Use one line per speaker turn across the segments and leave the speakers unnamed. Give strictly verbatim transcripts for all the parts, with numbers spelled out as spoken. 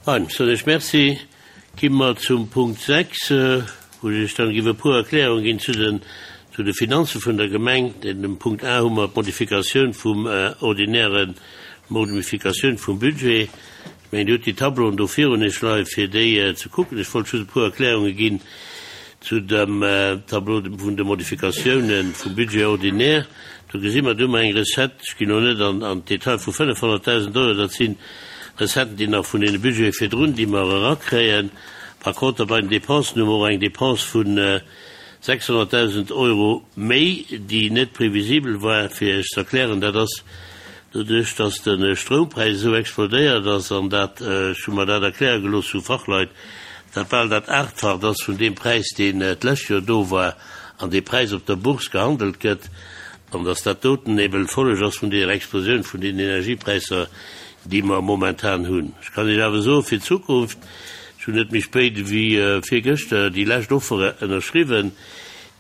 Fein, soen ech Merci. Gi mer zum Punkt sechs, wou ech Iech dann giff e puer Erklärungen ginn zu den, zu de Finanze vun der Gemeng. Denn dem Punkt A hu mer d'Modifikatioun vum ordinären, d'Modifikatioun vum Budget. Ech mengen, Dir hutt déi Tableauen do virun Iech leien, fir déi ze kucken. Ech wollt just e puer Erklärunge ginn zu dem Tableau vun de Modifikatiounen vum Budget ordinaire. Do gesi mer, do hu mer eng Recette, ech ginn elo net an d'Detail, vu fënnefhonnertdausend Euro. Dat si Recetten, déi nach vun deene Budgete virdrun, déi mer erakréien. Par contre, bei den Dépensen hu mer och eng Dépense vu sechshonnertdausend Euro méi, déi net previsibel war. Fir Iech ze erklären, dat ass doduerch, dass de Stroumpräis esou explodéiert ass, an dat, ech hu mer dat erkläre gelooss vu Fachleit, dat bal dat Aachtfacht ass vun deem Präis, deen d'lescht Joer do war an dee Präis op der Bourse gehandelt gëtt, an dass dat doten eben d'Folleg ass vun deeër Explosioun vun den Energiepräisser, déi mer momentan hunn. Ech kann Iech awer soen, fir d'Zukunft, ech hunn net méi spéit ewéi virgëschter déi lescht Offere ënnerschriwwen,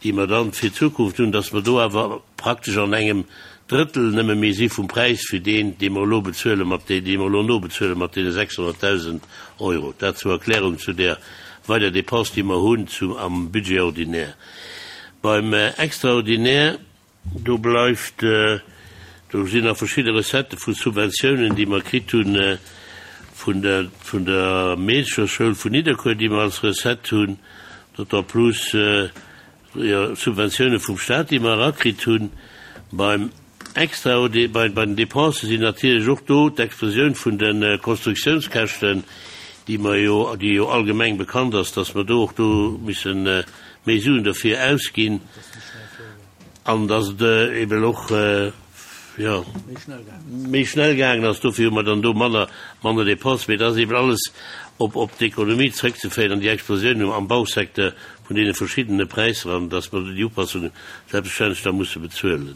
déi mer dann fir d'Zukunft hunn, dass mer do awer praktesch an engem Drëttel nëmme méi si vum Präis fir deen, dee mer elo bezuele mat dee, dee mer elo nobezuele mat deene sechshonnertdausend Euro. Dat zur Erklärung zu där weider Dépense, déi mer hunn zu am Budget ordinaire. Beim Extraordinaire, do bleift, do sinn nach verschidde Recettë vu Subventiounen, déi mer kritt hunn vun der, vun der Meedecherschoul vun Nidderkuer, déi mer als Recette hunn, d'autant plus, jo, Subventioune vum Stat, déi mer erakritt hunn. Beim Extraordi-, bei, bei den Dépensen sinn natierlech och do d'Explosioun vun de Konstruktiounskäschten, déi mer jo, déi jo allgemeng bekannt ass, dass mer do och do misse méi Suen derfir ausginn an dass et eben och, jo, méi schnell gaangen ass. Dofir hu mer dann do manner, manner Dépenses. Mee dat ass eben alles op, op d'Ekonomie zrëckzeféieren an déi Explosioun am Bausecteur vun deene verschiddene Präisser an dass mer do déi Upassungen selbstverständlech da musse bezuelen.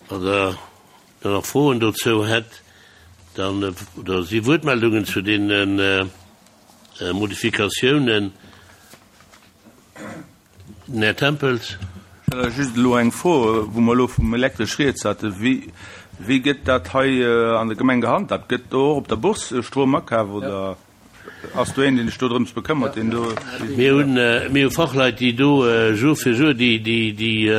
Wann Der dann nach Froen dozou hätt, dann, oder si Wuertmeldungen zu deene Modifikatiounen? Den Här Tempels.
Ech hätt just elo eng Fro, wou mer elo vum Elektresch rieds haten. Wéi, wéi gëtt dat hei an der Gemeng gehandhabt? Gëtt do och op der Bourse Strom akaf oder? Ass do een, deen sech do drëms bekëmmert, deen do.
Mir hunn, mir hu Fachleit, déi do Jour fir Jour déi, déi, déi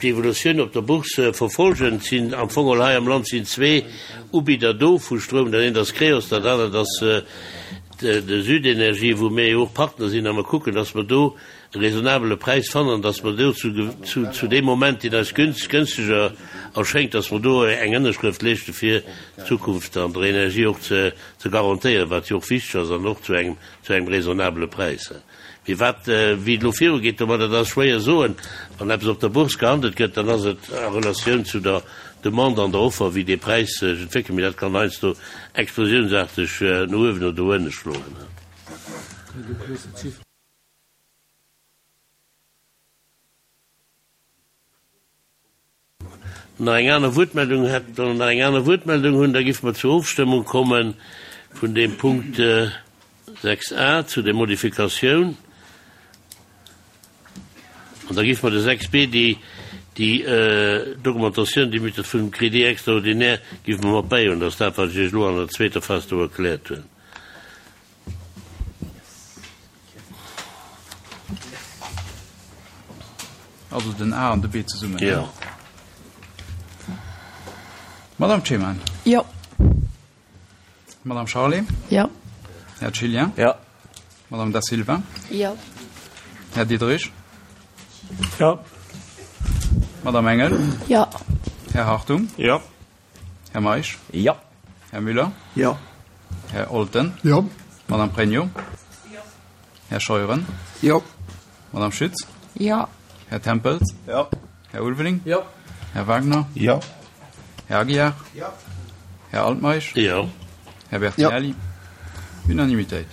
d'Evolutioun op der Bourse verfolgen. Et sinn am Fong geholl hei am Land sinn zwee Ubidder do vu Stroum. Dat eent ass Creos, dat anert ass de Südenergie, wou mir jo och Partner sinn a mer kucken, dass mer do e raisonnabele Präis fannen, dass mer do zu, zu, zu deem Moment, deen eis günst, günsteger erschéngt, dass mer do eng Ënnerschrëft leeschte fir d'Zukunft an der Energie och ze, ze garantéieren, wat jo och wichteg ass, an och zu engem, zu engem raisonnabele Präis. Mee wat, wéi et elo virugeet domadder, dat ass schwéier soen. Wann eppes op der Bourse gehandelt gëtt, dann ass et a Relatioun zu der Demande an der Offer, wéi dee Präis sech entwéckelt. Mee dat kann heiansdo explosiounsaarteg no uewen oder no ënne schloen. Nach eng aner Wuertmeldung hätt, oder nach eng aner Wuertmeldung hunn, da géife mer zur Ofstëmmung komme vun deem Punkt sechs a zu der Modifikatioun. An da géife mer de sechs b, déi, déi d'Augmentatioun, déi mit vum Crédit extraordinaire, géife mer mat bäihuelen. Dat ass dat, wat ech Iech elo an der zweeter Phas do erkläert hunn.
Also den A an de B zesummen.
Jo.
Madame Cheman.
Jo.
Madame Charlé.
Jo.
Här Gillian.
Jo.
Madame Da Silva.
Jo.
Här Diderich.
Jo.
Madame Engel.
Jo.
Här Hartung.
Jo.
Här Meisch.
Jo.
Här Müller.
Jo.
Här Olten.
Jo.
Madame Pregno. Jo. Här Scheuren.
Jo.
Madame Schütz.
Jo.
Här Tempels.
Jo.
Här Ulveling.
Jo.
Här Wagner.
Jo.
Här Aguiar.
Jo.
Här Altmeisch.
Jo.
Här Bertinelli. Jo. Unanimitéit.